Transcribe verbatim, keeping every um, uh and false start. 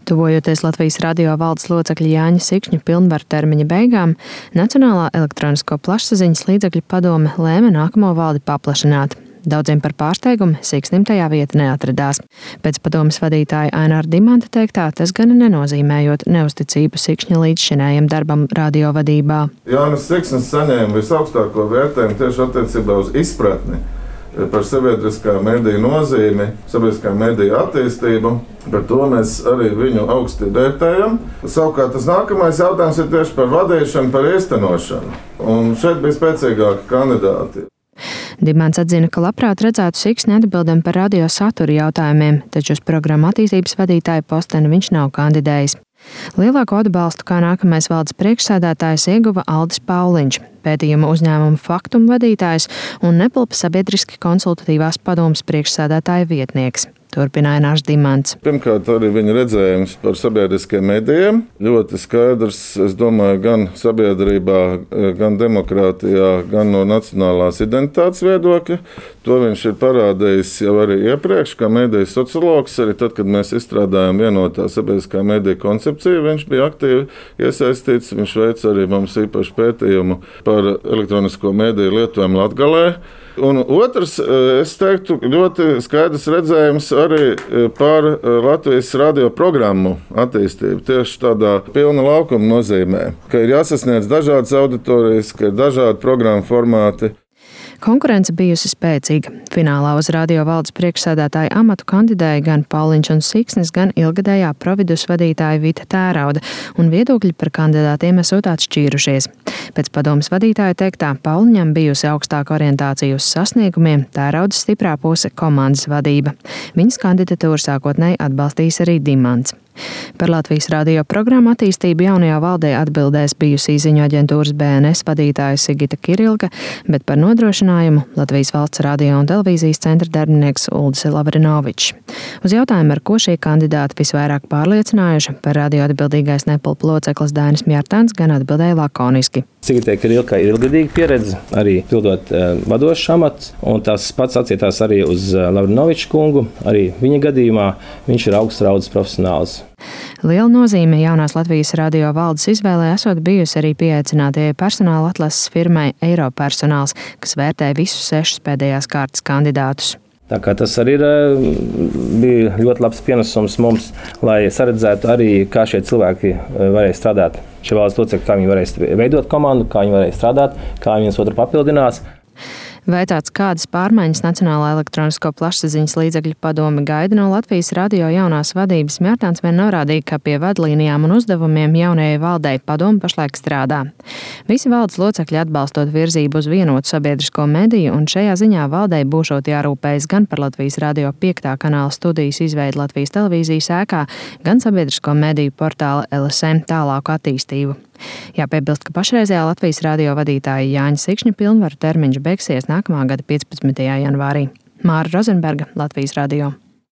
Tuvojoties Latvijas radio valdes locekļa Jāņa Sikšņa pilnvaru termiņa beigām, Nacionālā elektronisko plašsaziņas līdzekļu padome lēma nākamo valdi paplašināt. Daudziem par pārsteigumu Siksnim tajā vieta neatradās. Pēc padomes vadītāja Aināra Dimanta teiktā, tas gan nenozīmējot neusticību Sikšņa līdzšinējiem darbam radio vadībā. Jānis Siksnis saņēma visaugstāko vērtējumu tieši attiecībā uz izpratni par sabiedriskā mediju nozīmi, sabiedriskā mediju attīstību. Par to mēs arī viņu augsti vērtējam. Savukārt tas nākamais jautājums ir tieši par vadīšanu, par īstenošanu. Un šeit bija spēcīgāki kandidāti. Dimants atzina, ka labprāt redzētu Siksni atbildam par radio satura jautājumiem, taču uz programmu attīstības vadītāja posteni viņš nav kandidējis. Lielāko atbalstu kā nākamais valdes priekšsēdētājs ieguva Aldis Pauliņš, pētījuma uzņēmuma Faktum vadītājs un Nepilpa sabiedriski konsultatīvās padomes priekšsēdētāja vietnieks. Turpināja Ainārs Dimants. Pirmkārt, arī viņa redzējums par sabiedriskiem medijiem. Ļoti skaidrs, es domāju, gan sabiedrībā, gan demokrātijā, gan no nacionālās identitātes viedokļa. To viņš ir parādījis jau arī iepriekš, kā mediju sociologs. Arī tad, kad mēs izstrādājām vienotā sabiedriskā mediju koncepciju, viņš bija aktīvi iesaistīts. Viņš veica arī mums īpašu pētījumu par elektronisko mediju lietojumu Latgalē. Un otrs, es teiktu, ļoti skaidrs redzējums arī par Latvijas radio programmu attīstību. Tieši tādā pilna laukuma nozīmē, ka ir jāsasniedz dažādas auditorijas, ka ir dažādi programmu formāti. Konkurence bijusi spēcīga. Finālā uz radio valdes priekšsēdētāja amatu kandidēja gan Pauliņš un Siksnis, gan ilgadējā Providus vadītāja Vita Tērauda, un viedokļi par kandidātiem esot atšķīrušies. Pēc padomes vadītāja teiktā, Pauliņam bijusi augstāka orientācija uz sasniegumiem, Tēraudas stiprā puse komandas vadība. Viņas kandidatūru sākotnēji atbalstījis arī Dimants. Par Latvijas radio programmu attīstību jaunajā valdē atbildēs bijusī ziņu aģentūras B N S vadītāja Sigita Kirilka, bet par nodrošinājumu Latvijas valsts radio un televīzijas centra darbinieks Uldis Lavrinovičs. Uz jautājumu, ar ko šie kandidāti visvairāk pārliecinājuši, par radio atbildīgais Nepilpa loceklis Dainis Mjartāns gan atbildēja lakoniski. Sigitai Kirilkai ir ilgadīga pieredze, arī pildot uh, vadošs amats, un tas pats attiecās arī uz uh, Lavrinoviča kungu. Arī viņa gadījumā viņš ir augsts raudzes profesionāls. Liela nozīme jaunās Latvijas radio valdes izvēlē esot bijusi arī pieaicinātajai personāla atlases firmai Eiropersonāls, kas vērtē visus sešus pēdējās kārtas kandidātus. Tā kā tas arī ir, bija ļoti labs pienesums mums, lai saredzētu arī, kā šie cilvēki varēja strādāt. Šie valdes locekļi, kā viņi varēs veidot komandu, kā viņi varēs strādāt, kā viņi viens otru papildinās. Vaicāts, kādas pārmaiņas Nacionālā elektronisko plašsaziņas līdzekļu padome gaida no Latvijas radio jaunās vadības, Mjartāns vien norādīja, ka pie vadlīnijām un uzdevumiem jaunajai valdei padome pašlaik strādā. Visi valdes locekļi atbalstot virzību uz vienotu sabiedrisko mediju, un šajā ziņā valdei būšot jārūpējas gan par Latvijas radio piektā kanāla studijas izveidu Latvijas televīzijas ēkā, gan sabiedrisko mediju portāla L S M tālāku attīstību. Jāpiebilst, ka pašreizējā Latvijas radio vadītāja Jāņa Sikšņa pilnvaru termiņš beigsies nākamā gada piecpadsmitajā janvārī. Māra Rozenberga, Latvijas radio.